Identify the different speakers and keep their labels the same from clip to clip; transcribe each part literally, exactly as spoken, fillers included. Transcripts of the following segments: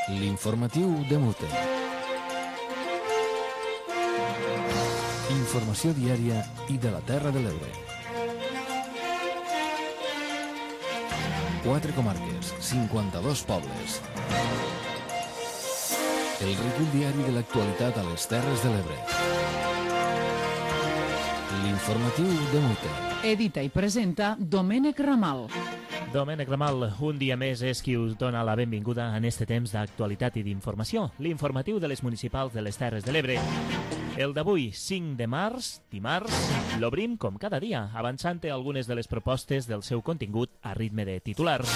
Speaker 1: L'informatiu de Mute. Informació diària i de la Terra de l'Ebre. Quatre comarques, cinquanta-dos pobles. El recull diari de l'actualitat a les Terres de l'Ebre. L'informatiu de Mute.
Speaker 2: Edita i presenta Domènec Ramal.
Speaker 3: Domènec Ramal, un dia més és qui us dona la benvinguda en este temps d'actualitat i d'informació, l'informatiu de les municipals de les Terres de l'Ebre. El d'avui, cinc de març, dimarts, l'obrim com cada dia, avançant algunes de les propostes del seu contingut a ritme de titulars.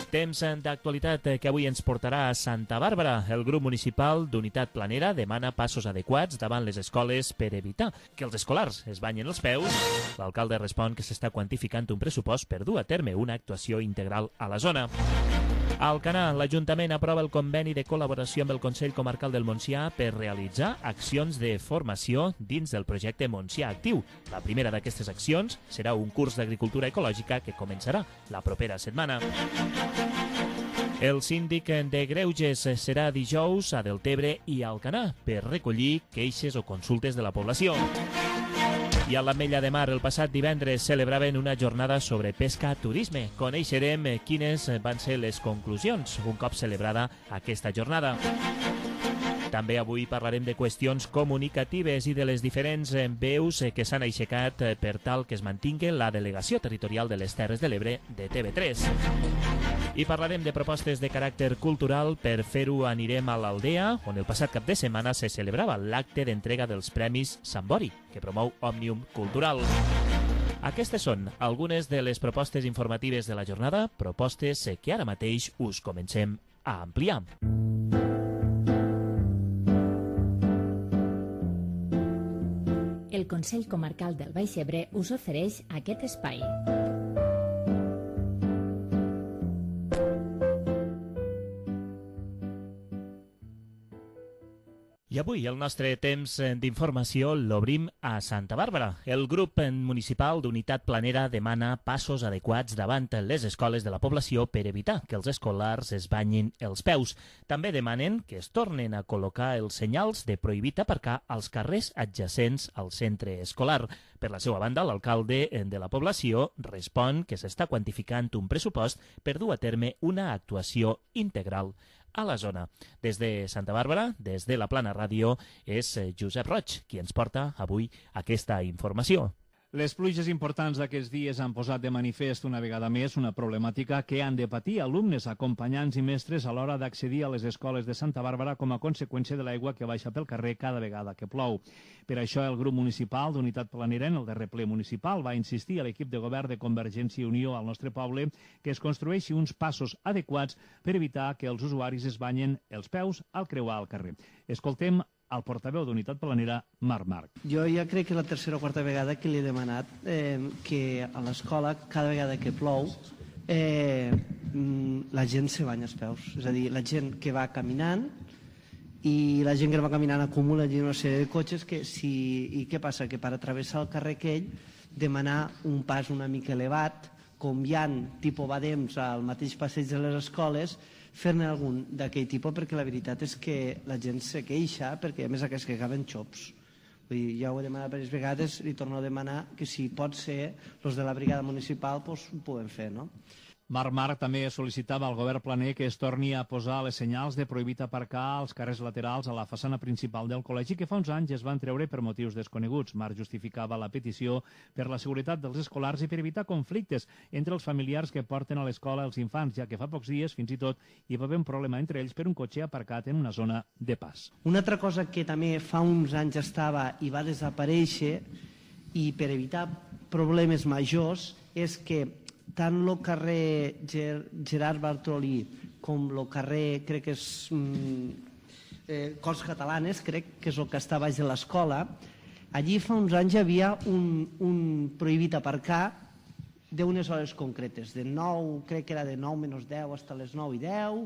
Speaker 3: Temps d'actualitat que avui ens portarà a Santa Bàrbara. El grup municipal d'Unitat Planera demana passos adequats davant les escoles per evitar que els escolars es banyen els peus. L'alcalde respon que s'està quantificant un pressupost per dur a terme una actuació integral a la zona. A Alcanar, l'Ajuntament aprova el conveni de col·laboració amb el Consell Comarcal del Montsià per realitzar accions de formació dins del projecte Montsià Actiu. La primera d'aquestes accions serà un curs d'agricultura ecològica que començarà la propera setmana. El síndic de Greuges serà dijous a Deltebre i a Alcanar per recollir queixes o consultes de la població. I a l'Ametlla de Mar, el passat divendres, celebraven una jornada sobre pesca-turisme. Coneixerem quines van ser les conclusions un cop celebrada aquesta jornada. També avui parlarem de qüestions comunicatives i de les diferents veus que s'han aixecat per tal que es mantingui la delegació territorial de les Terres de l'Ebre de T V tres. I parlarem de propostes de caràcter cultural. Per fer-ho anirem a l'Aldea, on el passat cap de setmana se celebrava l'acte d'entrega dels Premis Sambori, que promou Òmnium Cultural. Aquestes són algunes de les propostes informatives de la jornada, propostes que ara mateix us comencem a ampliar.
Speaker 4: El Consell Comarcal del Baix Ebre us ofereix aquest espai.
Speaker 3: I avui el nostre temps d'informació l'obrim a Santa Bàrbara. El grup municipal d'Unitat Planera demana passos adequats davant les escoles de la població per evitar que els escolars es banyin els peus. També demanen que es tornen a col·locar els senyals de prohibit aparcar als carrers adjacents al centre escolar. Per la seva banda, l'alcalde de la població respon que s'està quantificant un pressupost per dur a terme una actuació integral a la zona. Des de Santa Bàrbara, des de la Plana Ràdio, és Josep Roig qui ens porta avui aquesta informació.
Speaker 5: Les pluges importants d'aquests dies han posat de manifest una vegada més una problemàtica que han de patir alumnes, acompanyants i mestres a l'hora d'accedir a les escoles de Santa Bàrbara com a conseqüència de l'aigua que baixa pel carrer cada vegada que plou. Per això el grup municipal d'Unitat Planera en el darrer ple municipal va insistir a l'equip de govern de Convergència i Unió al nostre poble que es construeixi uns passos adequats per evitar que els usuaris es banyen els peus al creuar el carrer. Escoltem el portaveu d'Unitat Planera, Marc Marc.
Speaker 6: Jo ja crec que és la tercera o quarta vegada que li he demanat eh, que a l'escola, cada vegada que plou, eh, la gent se banya els peus. És a dir, la gent que va caminant i la gent que va caminant acumula una sèrie de cotxes que si... I què passa? Que per atravessar el carrer aquell, demanar un pas una mica elevat, com hi ha tipus badems al mateix passeig de les escoles, fer-ne algun d'aquell tipus, perquè la veritat és que la gent se queixa, perquè a més aquests que acaben xops. Vull dir, ja ho he demanat diverses vegades, li torno a demanar que si pot ser, els de la brigada municipal doncs, ho poden fer, no?
Speaker 5: Marc Marc també sol·licitava al govern planer que es torni a posar les senyals de prohibit aparcar als carrers laterals a la façana principal del col·legi que fa uns anys es van treure per motius desconeguts. Marc justificava la petició per la seguretat dels escolars i per evitar conflictes entre els familiars que porten a l'escola els infants, ja que fa pocs dies, fins i tot, hi va haver un problema entre ells per un cotxe aparcat en una zona de pas.
Speaker 6: Una altra cosa que també fa uns anys estava i va desaparèixer, i per evitar problemes majors, és que tant el carrer Ger Gerard Bartolí com el carrer, crec que és eh, Corts Catalanes, crec que és el que està baix de l'escola, allí fa uns anys hi havia un, un prohibit aparcar d'unes hores concretes, de nou, crec que era de nou menys deu fins a les nou i deu,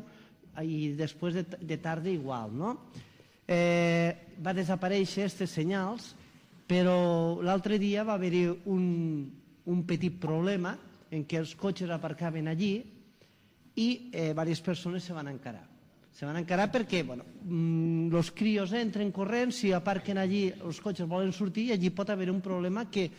Speaker 6: i després de, de tarda igual, no? Eh, va desaparèixer aquests senyals, però l'altre dia va haver-hi un, un petit problema en què els cotxes aparcaven allí i eh, diverses persones se van encarar. Se van a encarar perquè, bueno, els crios entren corrents, si aparquen allí, els cotxes volen sortir i allí pot haver un problema que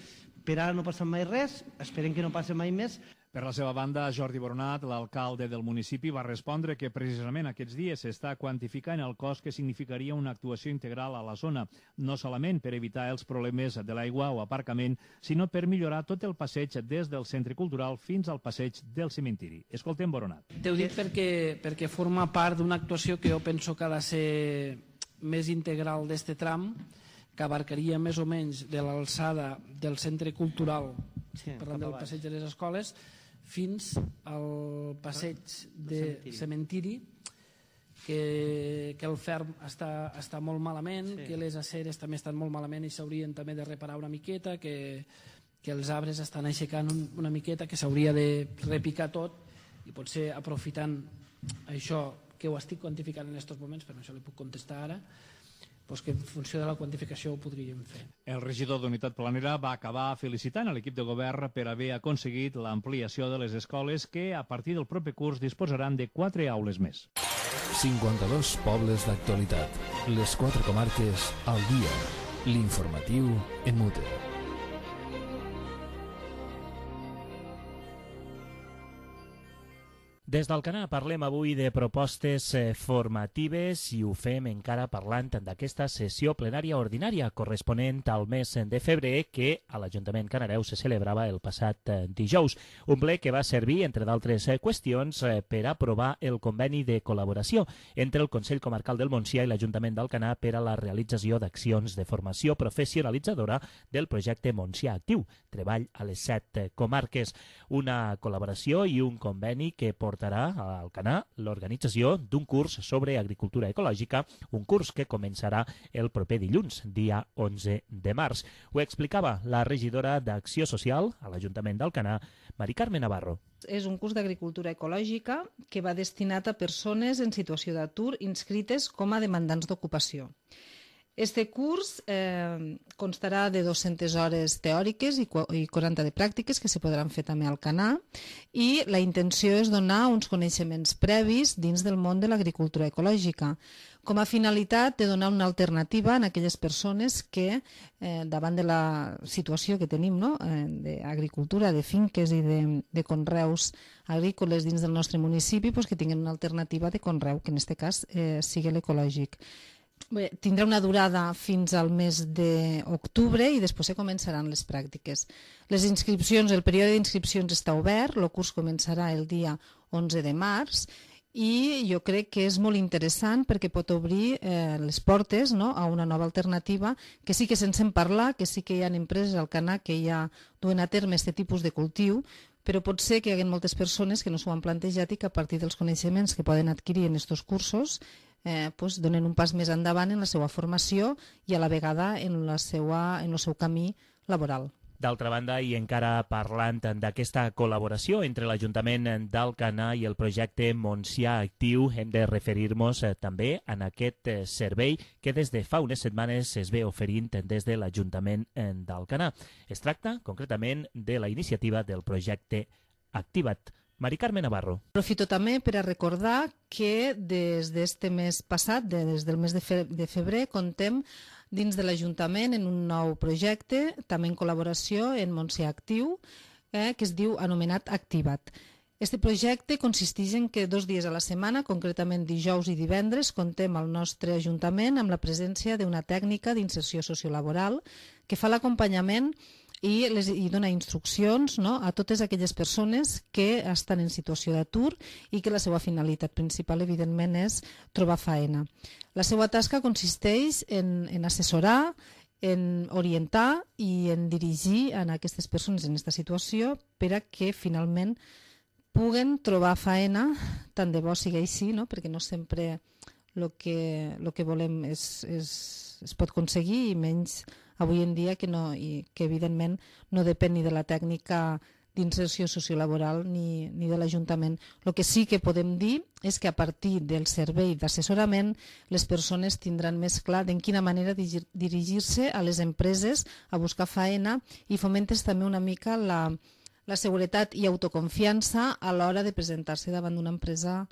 Speaker 6: per ara no passa mai res, esperem que no passi mai més.
Speaker 5: Per la seva banda, Jordi Boronat, l'alcalde del municipi, va respondre que precisament aquests dies s'està quantificant el cost que significaria una actuació integral a la zona, no solament per evitar els problemes de l'aigua o aparcament, sinó per millorar tot el passeig des del centre cultural fins al passeig del cementiri. Escoltem Boronat.
Speaker 7: T'ho dic perquè, perquè forma part d'una actuació que jo penso que ha de ser més integral d'este tram, que abarcaria més o menys de l'alçada del centre cultural, sí, parlant del passeig de les escoles, fins al passeig de cementiri, que, que el ferm està, està molt malament, sí, que les aceres també estan molt malament i s'haurien també de reparar una miqueta, que, que els arbres estan aixecant un, una miqueta, que s'hauria de repicar tot i potser aprofitant això que ho estic quantificant en aquests moments, però això li puc contestar ara, doncs que en funció de la quantificació ho podríem fer.
Speaker 5: El regidor d'Unitat Planera va acabar felicitant a l'equip de govern per haver aconseguit l'ampliació de les escoles que a partir del proper curs disposaran de quatre aules més.
Speaker 1: cinquanta-dos pobles d'actualitat. Les quatre comarques al dia. L'informatiu en Mute.
Speaker 3: Des d'Alcanar parlem avui de propostes formatives i ho fem encara parlant d'aquesta sessió plenària ordinària corresponent al mes de febrer que a l'Ajuntament Canareu se celebrava el passat dijous. Un ple que va servir, entre d'altres qüestions, per aprovar el conveni de col·laboració entre el Consell Comarcal del Montsià i l'Ajuntament d'Alcanar per a la realització d'accions de formació professionalitzadora del projecte Montsià Actiu, treball a les set comarques. Una col·laboració i un conveni que portarà a Alcanar l'organització d'un curs sobre agricultura ecològica, un curs que començarà el proper dilluns, dia onze de març. Ho explicava la regidora d'Acció Social a l'Ajuntament d'Alcanar, Mari Carme Navarro.
Speaker 8: És un curs d'agricultura ecològica que va destinat a persones en situació d'atur inscrites com a demandants d'ocupació. Este curs eh, constarà de dues-centes hores teòriques i quaranta de pràctiques que se podran fer també al Alcanar i la intenció és donar uns coneixements previs dins del món de l'agricultura ecològica com a finalitat de donar una alternativa a aquelles persones que eh, davant de la situació que tenim, no? eh, d'agricultura, de finques i de, de conreus agrícoles dins del nostre municipi, pues, que tinguin una alternativa de conreu, que en aquest cas eh, sigui l'ecològic. Bé, tindrà una durada fins al mes d'octubre i després se començaran les pràctiques. Les inscripcions, el període d'inscripcions està obert, el curs començarà el dia onze de març i jo crec que és molt interessant perquè pot obrir eh, les portes, no?, a una nova alternativa que sí que se'n sent parlar, que sí que hi ha empreses al Alcanar que ja duen a terme aquest tipus de cultiu, però pot ser que hi hagi moltes persones que no s'ho han plantejat i que a partir dels coneixements que poden adquirir en aquests cursos eh, pues, donen un pas més endavant en la seva formació i a la vegada en, la seva, en el seu camí laboral.
Speaker 3: D'altra banda, i encara parlant d'aquesta col·laboració entre l'Ajuntament d'Alcanar i el projecte Montsià Actiu, hem de referir-nos eh, també en aquest eh, servei que des de fa unes setmanes es ve oferint des de l'Ajuntament d'Alcanar. Es tracta, concretament, de la iniciativa del projecte Activa't. Mari Carme Navarro.
Speaker 8: Aprofito també per a recordar que des d'este mes passat, des del mes de febrer, contem dins de l'Ajuntament en un nou projecte, també en col·laboració en Montsià Actiu, eh, que es diu anomenat Activa't. Este projecte consisteix en que dos dies a la setmana, concretament dijous i divendres, contem al nostre Ajuntament amb la presència d'una tècnica d'inserció sociolaboral que fa l'acompanyament i, les, i dona instruccions, no?, a totes aquelles persones que estan en situació d'atur i que la seva finalitat principal, evidentment, és trobar feina. La seva tasca consisteix en, en assessorar, en orientar i en dirigir a aquestes persones en aquesta situació per a que finalment puguen trobar feina, tant de bo sigui així, no?, perquè no sempre el que, lo que volem és, és, es pot aconseguir i menys avui en dia que, no, i que evidentment no depèn ni de la tècnica d'inserció sociolaboral ni, ni de l'Ajuntament. El que sí que podem dir és que a partir del servei d'assessorament les persones tindran més clar en quina manera dirigir-se a les empreses a buscar feina i fomentes també una mica la, la seguretat i autoconfiança a l'hora de presentar-se davant d'una empresa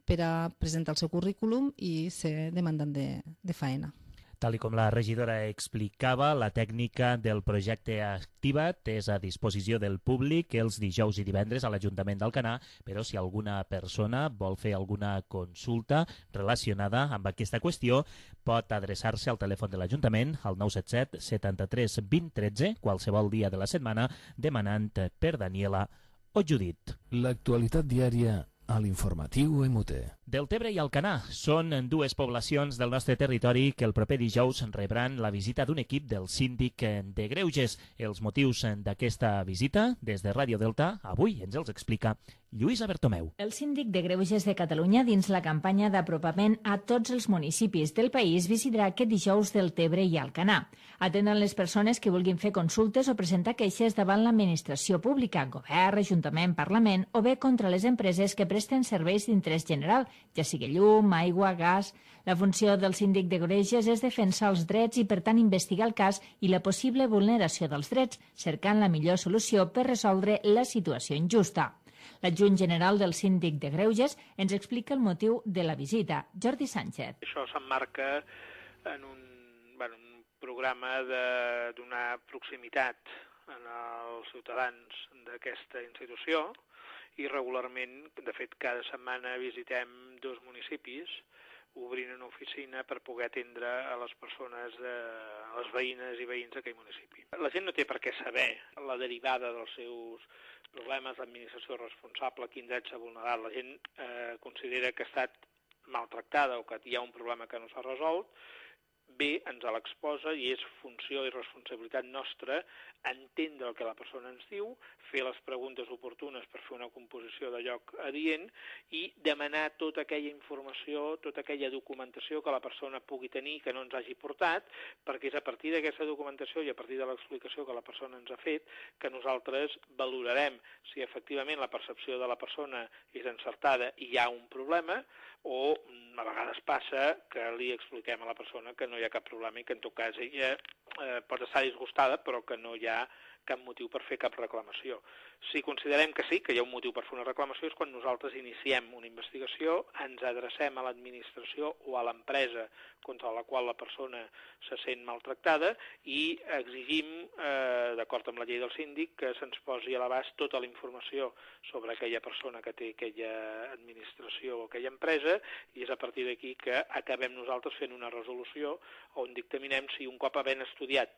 Speaker 8: per a presentar el seu currículum i ser demandant de, de faena.
Speaker 3: Tal com la regidora explicava, la tècnica del projecte Activa't és a disposició del públic els dijous i divendres a l'Ajuntament d'Alcanar, però si alguna persona vol fer alguna consulta relacionada amb aquesta qüestió, pot adreçar-se al telèfon de l'Ajuntament al nou set set setanta-tres vint tretze, qualsevol dia de la setmana, demanant per Daniela o Judit.
Speaker 1: L'actualitat diària a l'informatiu M U T.
Speaker 3: Deltebre i Alcanar són dues poblacions del nostre territori que el proper dijous rebran la visita d'un equip del síndic de Greuges. Els motius d'aquesta visita, des de Ràdio Delta, avui ens els explica Lluïsa Bertomeu.
Speaker 4: El síndic de Greuges de Catalunya, dins la campanya d'apropament a tots els municipis del país, visitarà aquest dijous Deltebre i Alcanar. Atenen les persones que vulguin fer consultes o presentar queixes davant l'administració pública, govern, ajuntament, parlament, o bé contra les empreses que presten serveis d'interès general, ja sigui llum, aigua, gas. La funció del síndic de Greuges és defensar els drets i, per tant, investigar el cas i la possible vulneració dels drets, cercant la millor solució per resoldre la situació injusta. L'adjunt general del síndic de Greuges ens explica el motiu de la visita. Jordi Sánchez.
Speaker 9: Això s'emmarca en un, bueno, un programa de donar proximitat als ciutadans d'aquesta institució i regularment, de fet, cada setmana visitem dos municipis obrint una oficina per poder atendre a les persones, de, a les veïnes i veïns d'aquell municipi. La gent no té per què saber la derivada dels seus problemes, l'administració responsable, quin dret s'ha vulnerat. La gent eh, considera que ha estat maltractada o que hi ha un problema que no s'ha resolt, bé, ens l'exposa i és funció i responsabilitat nostra entendre el que la persona ens diu, fer les preguntes oportunes per fer una composició de lloc adient i demanar tota aquella informació, tota aquella documentació que la persona pugui tenir que no ens hagi portat, perquè és a partir d'aquesta documentació i a partir de l'explicació que la persona ens ha fet que nosaltres valorarem si efectivament la percepció de la persona és encertada i hi ha un problema o a vegades passa que li expliquem a la persona que no hi ha cap problema i que en tot cas ella eh, pot estar disgustada però que no hi ha cap motiu per fer cap reclamació. Si considerem que sí, que hi ha un motiu per fer una reclamació, és quan nosaltres iniciem una investigació, ens adrecem a l'administració o a l'empresa contra la qual la persona se sent maltractada i exigim, eh, d'acord amb la llei del síndic, que se'ns posi a l'abast tota la informació sobre aquella persona que té aquella administració o aquella empresa i és a partir d'aquí que acabem nosaltres fent una resolució on dictaminem si un cop havent estudiat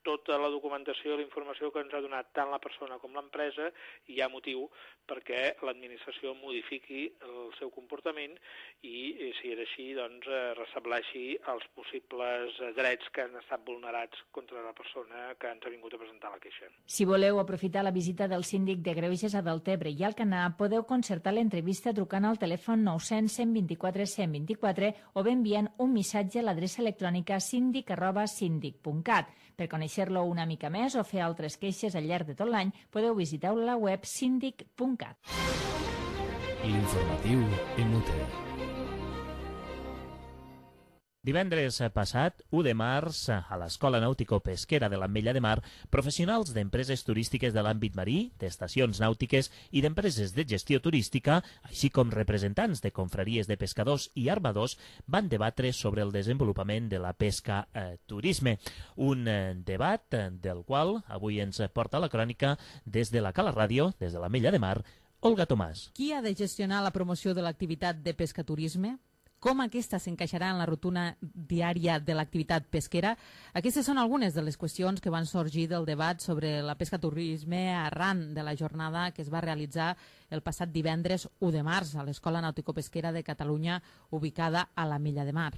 Speaker 9: tota la documentació i la informació que ens ha donat tant la persona com l'empresa hi ha motiu perquè l'administració modifiqui el seu comportament i, si és així, doncs, restableixi els possibles drets que han estat vulnerats contra la persona que ens ha vingut a presentar la queixa.
Speaker 4: Si voleu aprofitar la visita del síndic de Greuges a Deltebre i Alcanar, podeu concertar l'entrevista trucant al telèfon nou cents cent vint-i-quatre cent vint-i-quatre o bé enviant un missatge a l'adreça electrònica síndic arroba síndic punt cat. Per conèixer-lo una mica més o fer altres queixes al llarg de tot l'any, podeu visitar la web síndic punt cat.
Speaker 1: L'informatiu M U T.
Speaker 3: Divendres passat, u de març, a l'Escola Nàutico-Pesquera de l'Ametlla de Mar, professionals d'empreses turístiques de l'àmbit marí, d'estacions nàutiques i d'empreses de gestió turística, així com representants de confraries de pescadors i armadors, van debatre sobre el desenvolupament de la pesca eh, turisme. Un eh, debat del qual avui ens porta la crònica des de la Cala Ràdio, des de l'Ametlla de Mar, Olga Tomàs.
Speaker 10: Qui ha de gestionar la promoció de l'activitat de pesca-turisme? Com aquesta s'encaixarà en la rutina diària de l'activitat pesquera? Aquestes són algunes de les qüestions que van sorgir del debat sobre la pesca-turisme arran de la jornada que es va realitzar el passat divendres u de març a l'Escola Nàutico-Pesquera de Catalunya, ubicada a l'Ametlla de Mar.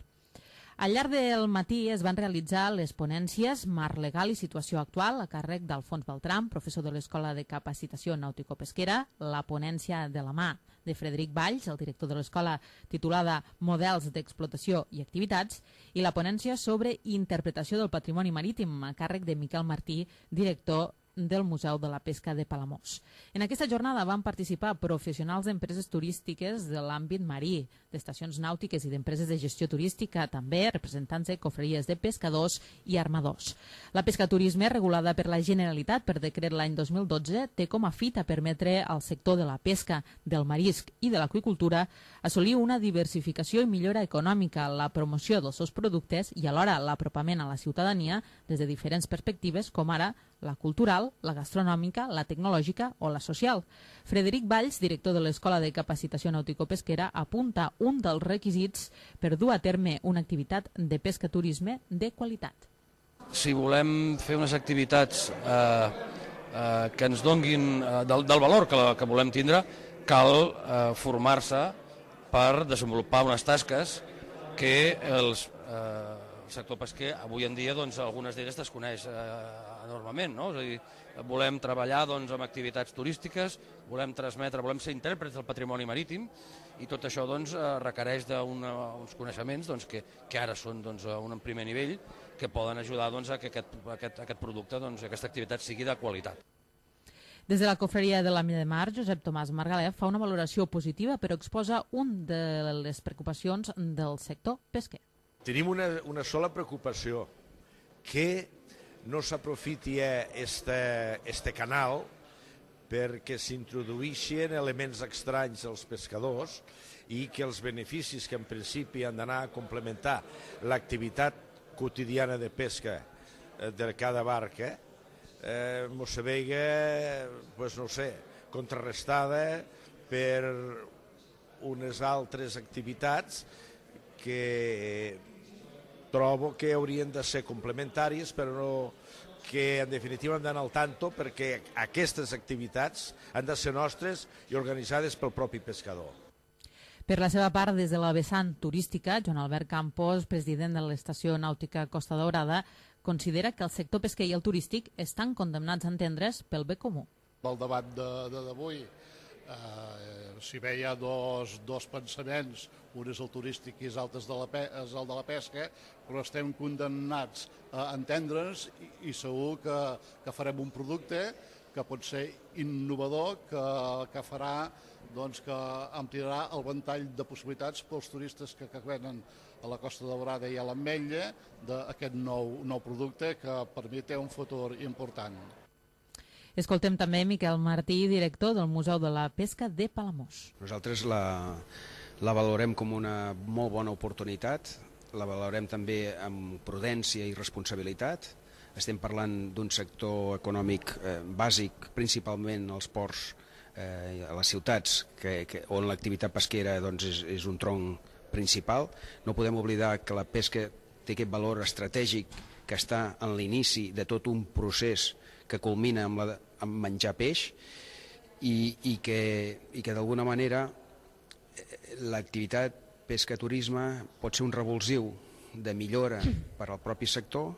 Speaker 10: Al llarg del matí es van realitzar les ponències Marc legal i situació actual a càrrec d'Alfons Beltram, professor de l'Escola de Capacitació Nàutico-Pesquera, la ponència de la mà de Frederic Valls, el director de l'escola, titulada Models d'explotació i activitats, i la ponència sobre interpretació del patrimoni marítim a càrrec de Miquel Martí, director del Museu de la Pesca de Palamós. En aquesta jornada van participar professionals d'empreses turístiques de l'àmbit marí, d'estacions nàutiques i d'empreses de gestió turística, també representants de cofreries de pescadors i armadors. La pescaturisme, regulada per la Generalitat per decret l'any dos mil dotze, té com a fita permetre al sector de la pesca, del marisc i de l'aqüicultura assolir una diversificació i millora econòmica, la promoció dels seus productes i alhora l'apropament a la ciutadania des de diferents perspectives, com ara la cultural, la gastronòmica, la tecnològica o la social. Frederic Valls, director de l'Escola de Capacitació Nàutico-Pesquera, apunta un dels requisits per dur a terme una activitat de pescaturisme de qualitat.
Speaker 11: Si volem fer unes activitats eh, eh, que ens donguin eh, del, del valor que, la, que volem tindre, cal eh, formar-se per desenvolupar unes tasques que els, eh, el sector pesquer avui en dia, doncs, algunes d'elles desconeix eh, enormement, no? És a dir, volem treballar doncs, amb activitats turístiques, volem transmetre, volem ser intèrprets del patrimoni marítim i tot això doncs, requereix d'uns coneixements doncs, que, que ara són doncs, a un primer nivell que poden ajudar doncs, a que aquest, aquest, aquest producte, doncs, aquesta activitat sigui de qualitat.
Speaker 10: Des de la cofreria de la Mina de Mar, Josep Tomàs Margalef fa una valoració positiva però exposa un de les preocupacions del sector pesquer.
Speaker 12: Tenim una, una sola preocupació, que no s'aprofiti este, este canal perquè s'introduïxin elements estranys als pescadors i que els beneficis que en principi han d'anar a complementar l'activitat quotidiana de pesca de cada barca eh, mos se veiga, pues no sé, contrarrestada per unes altres activitats que trobo que haurien de ser complementàries, però no, que en definitiva han d'anar al tanto perquè aquestes activitats han de ser nostres i organitzades pel propi pescador.
Speaker 10: Per la seva part, des de la vessant turística, Joan Albert Campos, president de l'Estació Nàutica Costa Daurada, considera que el sector pesquer i el turístic estan condemnats a entendre's pel bé comú.
Speaker 13: El debat d'avui eh, si bé hi ha dos, dos pensaments, un és el turístic i l'altre és, és el de la pesca, però estem condemnats a entendre'ns i, i segur que, que farem un producte que pot ser innovador, que, que farà doncs, que ampliarà el ventall de possibilitats pels turistes que, que venen a la Costa Daurada i a l'Ametlla d'aquest nou, nou producte que per mi té un futur important.
Speaker 10: Escoltem també Miquel Martí, director del Museu de la Pesca de Palamós.
Speaker 14: Nosaltres la, la valorem com una molt bona oportunitat, la valorem també amb prudència i responsabilitat. Estem parlant d'un sector econòmic eh, bàsic, principalment als ports, eh, a les ciutats, que, que, on l'activitat pesquera doncs, és, és un tronc principal. No podem oblidar que la pesca té aquest valor estratègic que està en l'inici de tot un procés que culmina amb, la, amb menjar peix i, i que, i que d'alguna manera l'activitat pesca-turisme pot ser un revulsiu de millora per al propi sector.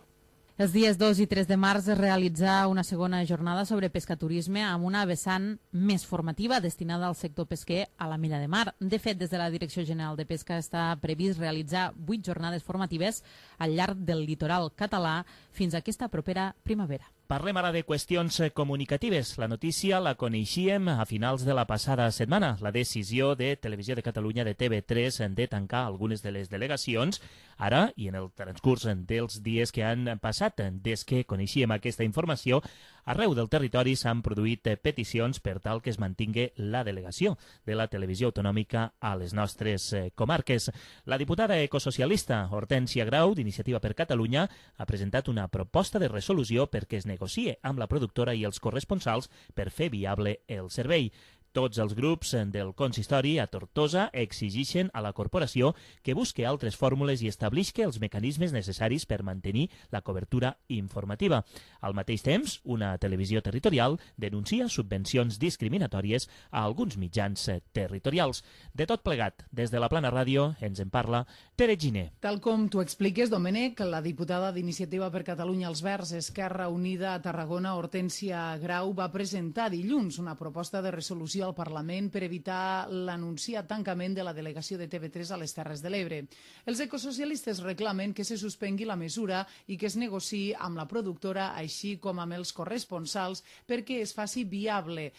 Speaker 10: Els dies dos i tres de març es realitzà una segona jornada sobre pescaturisme amb una vessant més formativa destinada al sector pesquer a la Milla de Mar. De fet, des de la Direcció General de Pesca està previst realitzar vuit jornades formatives al llarg del litoral català fins a aquesta propera primavera.
Speaker 3: Parlem ara de qüestions comunicatives. La notícia la coneixíem a finals de la passada setmana. La decisió de Televisió de Catalunya de T V tres de tancar algunes de les delegacions ara i en el transcurs dels dies que han passat des que coneixíem aquesta informació. Arreu del territori s'han produït peticions per tal que es mantingui la delegació de la televisió autonòmica a les nostres comarques. La diputada ecosocialista Hortènsia Grau, d'Iniciativa per Catalunya, ha presentat una proposta de resolució perquè es negocie amb la productora i els corresponsals per fer viable el servei. Tots els grups del consistori a Tortosa exigeixen a la corporació que busque altres fórmules i establisca els mecanismes necessaris per mantenir la cobertura informativa. Al mateix temps, una televisió territorial denuncia subvencions discriminatòries a alguns mitjans territorials. De tot plegat, des de la Plana Ràdio ens en parla Tere Giner.
Speaker 2: Tal com tu expliques, Domènec, la diputada d'Iniciativa per Catalunya als Verds, Esquerra Unida a Tarragona, Hortènsia Grau, va presentar dilluns una proposta de resolució moció al Parlament per evitar l'anunciat tancament de la delegació de T V tres a les Terres de l'Ebre. Els ecosocialistes reclamen que se suspengui la mesura i que es negociï amb la productora, així com amb els corresponsals, perquè es faci viable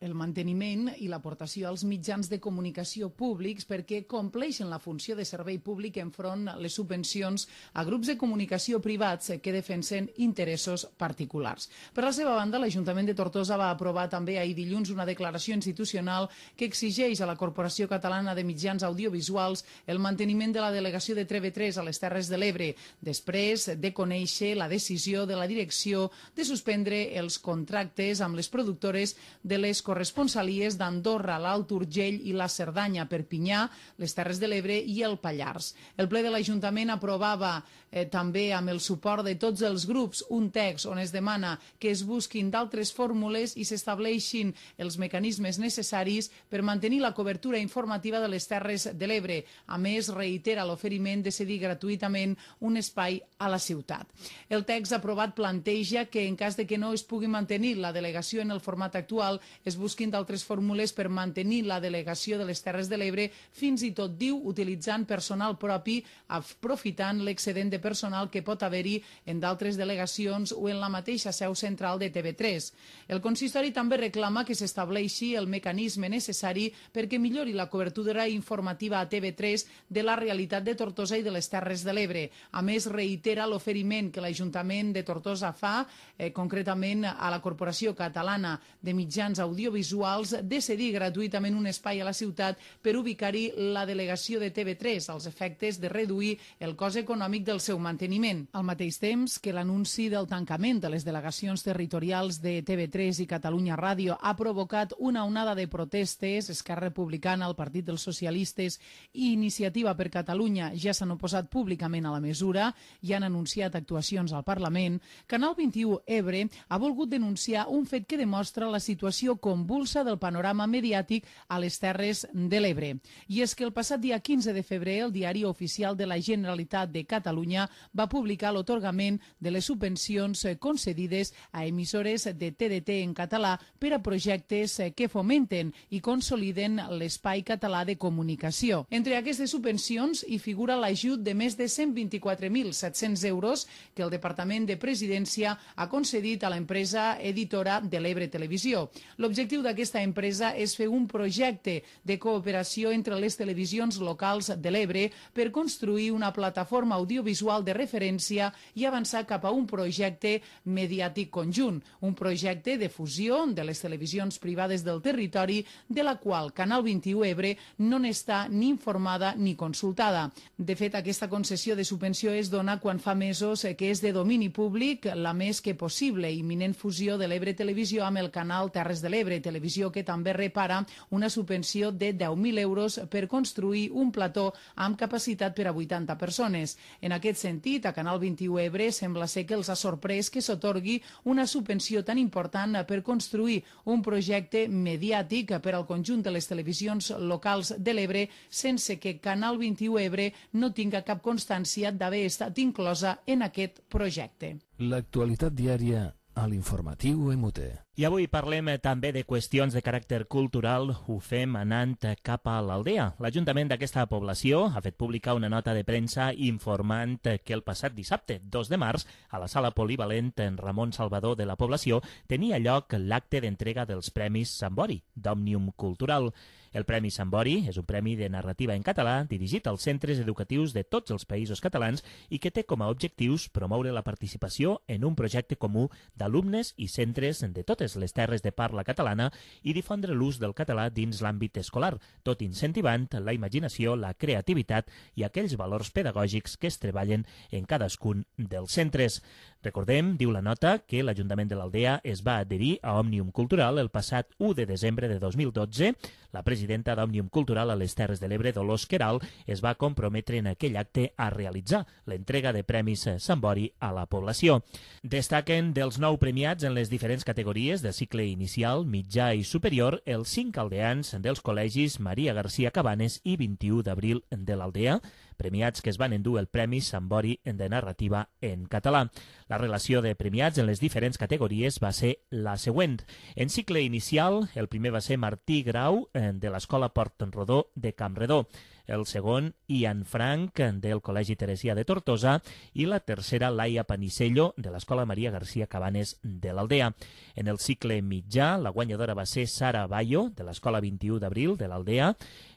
Speaker 2: el manteniment i l'aportació als mitjans de comunicació públics perquè compleixen la funció de servei públic enfront les subvencions a grups de comunicació privats que defensen interessos particulars. Per la seva banda, l'Ajuntament de Tortosa va aprovar també ahir dilluns una declaració institucional que exigeix a la Corporació Catalana de Mitjans Audiovisuals el manteniment de la delegació de T V tres a les Terres de l'Ebre, després de conèixer la decisió de la direcció de suspendre els contractes amb les productores de les corresponsalies d'Andorra, l'Alt Urgell i la Cerdanya, Perpinyà, les Terres de l'Ebre i el Pallars. El ple de l'Ajuntament aprovava eh, també amb el suport de tots els grups un text on es demana que es busquin d'altres fórmules i s'estableixin els mecanismes necessaris per mantenir la cobertura informativa de les Terres de l'Ebre. A més, reitera l'oferiment de cedir gratuïtament un espai a la ciutat. El text aprovat planteja que en cas de que no es pugui mantenir la delegació en el format actual, es busquin d'altres fórmules per mantenir la delegació de les Terres de l'Ebre, fins i tot, diu, utilitzant personal propi, aprofitant l'excedent de personal que pot haver-hi en d'altres delegacions o en la mateixa seu central de T V tres. El consistori també reclama que s'estableixi el mecanisme necessari perquè millori la cobertura informativa a T V tres de la realitat de Tortosa i de les Terres de l'Ebre. A més, reitera l'oferiment que l'Ajuntament de Tortosa fa, eh, concretament a la Corporació Catalana de Mitjans Audiovisuals, de cedir gratuïtament un espai a la ciutat per ubicar-hi la delegació de T V tres, als efectes de reduir el cost econòmic del seu manteniment. Al mateix temps que l'anunci del tancament de les delegacions territorials de T V tres i Catalunya Ràdio ha provocat una onada de protestes, Esquerra Republicana, el Partit dels Socialistes i Iniciativa per Catalunya ja s'han oposat públicament a la mesura i han anunciat actuacions al Parlament. Canal vint-i-u Ebre ha volgut denunciar un fet que demostra la situació convulsa del panorama mediàtic a les Terres de l'Ebre. I és que el passat dia quinze de febrer el Diari Oficial de la Generalitat de Catalunya va publicar l'atorgament de les subvencions concedides a emissores de T D T en català per a projectes que fomenten i consoliden l'espai català de comunicació. Entre aquestes subvencions hi figura l'ajut de més de cent vint-i-quatre mil set-cents euros que el Departament de Presidència ha concedit a l'empresa editora de l'Ebre Televisió. L'objectiu d'aquesta empresa és fer un projecte de cooperació entre les televisions locals de l'Ebre per construir una plataforma audiovisual de referència i avançar cap a un projecte mediàtic conjunt, un projecte de fusió de les televisions privades del territori, de la qual Canal vint-i-u Ebre no n'està ni informada ni consultada. De fet, aquesta concessió de subvenció es dona quan fa mesos que és de domini públic la més que possible imminent fusió de l'Ebre Televisió amb el canal Terres de l'Ebre Televisió, que també repara una subvenció de deu mil euros per construir un plató amb capacitat per a vuitanta persones. En aquest sentit, a Canal vint-i-u Ebre sembla ser que els ha sorprès que s'atorgui una subvenció tan important per construir un projecte mediàtic per al conjunt de les televisions locals de l'Ebre sense que Canal vint-i-u Ebre no tinga cap constància d'haver estat inclosa en aquest projecte.
Speaker 1: L'actualitat diària a l'informatiu E M U T E.
Speaker 3: I avui parlem també de qüestions de caràcter cultural. Ho fem anant cap a l'Aldea. L'Ajuntament d'aquesta població ha fet publicar una nota de premsa informant que el passat dissabte, dos de març, a la sala polivalent en Ramon Salvador de la població tenia lloc l'acte d'entrega dels Premis Sambori, d'Òmnium Cultural. El Premi Sambori és un premi de narrativa en català dirigit als centres educatius de tots els països catalans i que té com a objectius promoure la participació en un projecte comú d'alumnes i centres de totes les terres de parla catalana i difondre l'ús del català dins l'àmbit escolar, tot incentivant la imaginació, la creativitat i aquells valors pedagògics que es treballen en cadascun dels centres. Recordem, diu la nota, que l'Ajuntament de l'Aldea es va adherir a Òmnium Cultural el passat u de desembre de dos mil dotze. La presidenta d'Òmnium Cultural a les Terres de l'Ebre, Dolors Queralt, es va comprometre en aquell acte a realitzar l'entrega de Premis Sambori a la població. Destaquen dels nou premiats en les diferents categories de cicle inicial, mitjà i superior els cinc aldeans dels col·legis Maria Garcia Cabanes i vint-i-u d'abril de l'Aldea, premiats que es van endur el Premi Sambori de narrativa en català. La relació de premiats en les diferents categories va ser la següent. En cicle inicial, el primer va ser Martí Grau, de l'Escola Port-rodó de Campredó, el segon Ian Frank, del Col·legi Teresià de Tortosa, i la tercera Laia Panisello, de l'Escola Maria García Cabanes de l'Aldea. En el cicle mitjà, la guanyadora va ser Sara Bayo, de l'Escola vint-i-u d'abril de l'Aldea,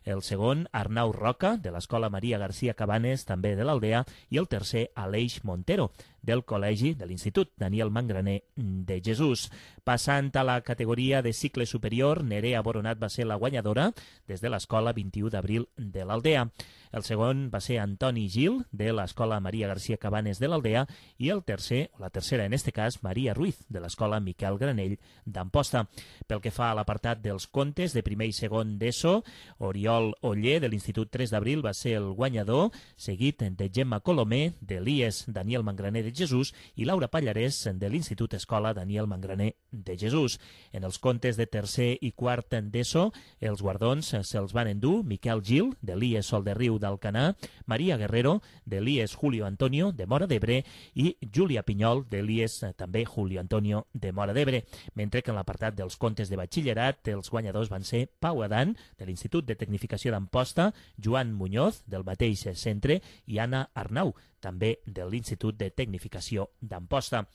Speaker 3: el segon Arnau Roca, de l'Escola Maria García Cabanes, també de l'Aldea, i el tercer Aleix Montero, del Col·legi de l'Institut Daniel Mangraner de Jesús. Passant a la categoria de cicle superior, Nerea Boronat va ser la guanyadora des de l'Escola vint-i-u d'abril de l'Aldea. El segon va ser Antoni Gil, de l'Escola Maria García Cabanes de l'Aldea, i el tercer, o la tercera en este cas, Maria Ruiz, de l'Escola Miquel Granell d'Amposta. Pel que fa a l'apartat dels contes de primer i segon d'ESO, Oriol Oller, de l'Institut tres d'abril, va ser el guanyador, seguit de Gemma Colomé, de l'I E S Daniel Mangraner de Jesús, i Laura Pallarès, de l'Institut Escola Daniel Mangraner de Jesús. En els contes de tercer i quart d'ESO, els guardons se'ls van endur Miquel Gil, de l'I E S Sol de Riu d'Alcanar, Maria Guerrero, de l'I E S Julio Antonio, de Móra d'Ebre, i Júlia Pinyol, de l'I E S també Julio Antonio, de Móra d'Ebre. Mentre que en l'apartat dels contes de batxillerat, els guanyadors van ser Pau Adán, de l'Institut de Tecnificació d'Amposta, Joan Muñoz, del mateix centre, i Anna Arnau, també de l'Institut de Tecnificació d'Amposta.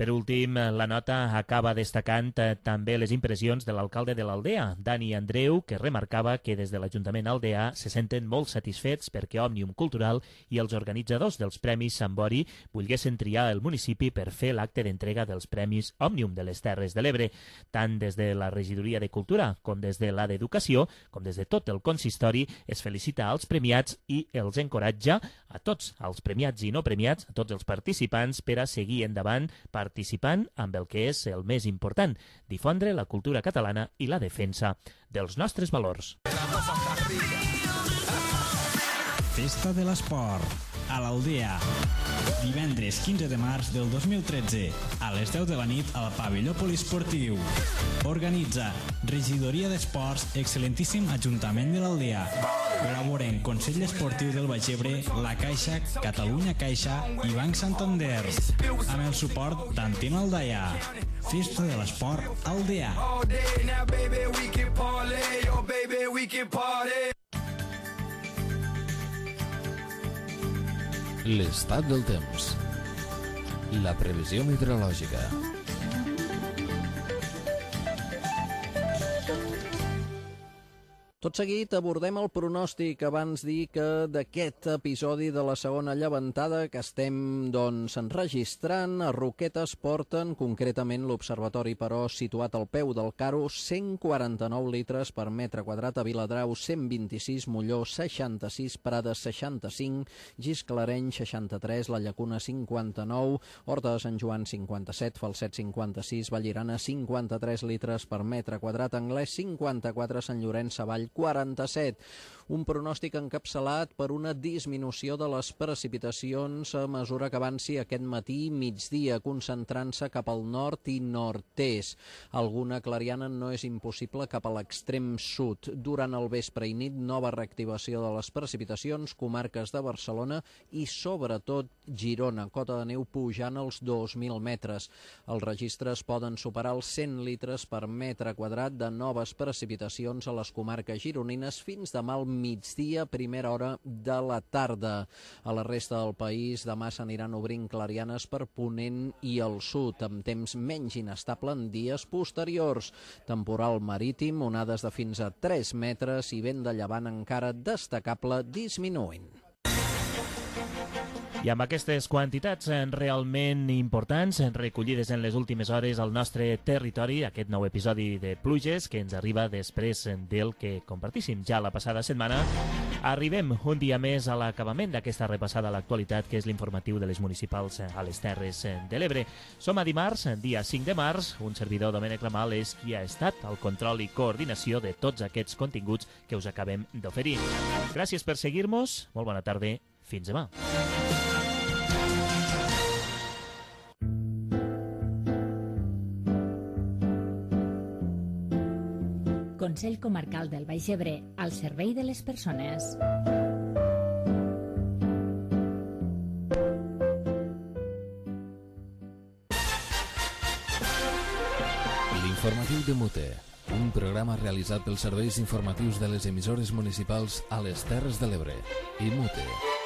Speaker 3: Per últim, la nota acaba destacant eh, també les impressions de l'alcalde de l'Aldea, Dani Andreu, que remarcava que des de l'Ajuntament aldeà se senten molt satisfets perquè Òmnium Cultural i els organitzadors dels Premis Sambori volguessin triar el municipi per fer l'acte d'entrega dels Premis Òmnium de les Terres de l'Ebre. Tant des de la Regidoria de Cultura com des de la d'Educació, com des de tot el consistori, es felicita als premiats i els encoratja a tots els premiats i no premiats, a tots els participants, per a seguir endavant per participant amb el que és el més important, difondre la cultura catalana i la defensa dels nostres valors.
Speaker 15: Festa de l'Esport, a l'Aldea. Divendres quinze de març del dos mil tretze, a les deu de la nit al pavelló poliesportiu. Organitza Regidoria d'Esports, excel·lentíssim Ajuntament de l'Aldea. Col·laboren Consell Esportiu del Baix Ebre, La Caixa, Catalunya Caixa i Banc Santander. Amb el suport d'Antena Aldaia. Festa de l'Esport Aldea.
Speaker 1: L'estat del temps. La previsió meteorològica.
Speaker 16: Tot seguit abordem el pronòstic. Abans dir que d'aquest episodi de la segona llevantada que estem doncs, enregistrant, a Roquetes porten, concretament l'Observatori però situat al peu del Caro, cent quaranta-nou litres per metre quadrat, a Viladrau cent vint-i-sis, Molló seixanta-sis, Prades seixanta-cinc, Gisclareny seixanta-tres, La Llacuna cinquanta-nou, Horta de Sant Joan cinquanta-set, Falset cinquanta-sis, Vallirana cinquanta-tres litres per metre quadrat, Anglès cinquanta-quatre, Sant Llorenç Savall quaranta-set. Un pronòstic encapçalat per una disminució de les precipitacions a mesura que avanci aquest matí migdia, concentrant-se cap al nord i nord-est. Alguna clariana no és impossible cap a l'extrem sud. Durant el vespre i nit, nova reactivació de les precipitacions, comarques de Barcelona i sobretot Girona, cota de neu pujant als dos mil metres. Els registres poden superar els cent litres per metre quadrat de noves precipitacions a les comarques gironines fins demà al migdia, primera hora de la tarda. A la resta del país demà s'aniran obrint clarianes per Ponent i el sud, amb temps menys inestable en dies posteriors. Temporal marítim, onades de fins a tres metres i vent de llevant encara destacable disminuint.
Speaker 3: I amb aquestes quantitats realment importants recollides en les últimes hores al nostre territori, aquest nou episodi de Pluges que ens arriba després del que compartíssim ja la passada setmana, arribem un dia més a l'acabament d'aquesta repassada a l'actualitat, que és l'informatiu de les municipals a les Terres de l'Ebre. Som a dimarts, dia cinc de març, un servidor, Domènec Ramal, és qui ha estat al control i coordinació de tots aquests continguts que us acabem d'oferir. Gràcies per seguir-nos, molt bona tarda, fins demà.
Speaker 4: Consell Comarcal del Baix Ebre, al servei de les persones.
Speaker 1: L'informatiu de Mute, un programa realitzat pels serveis informatius de les emissores municipals a les Terres de l'Ebre i Mute.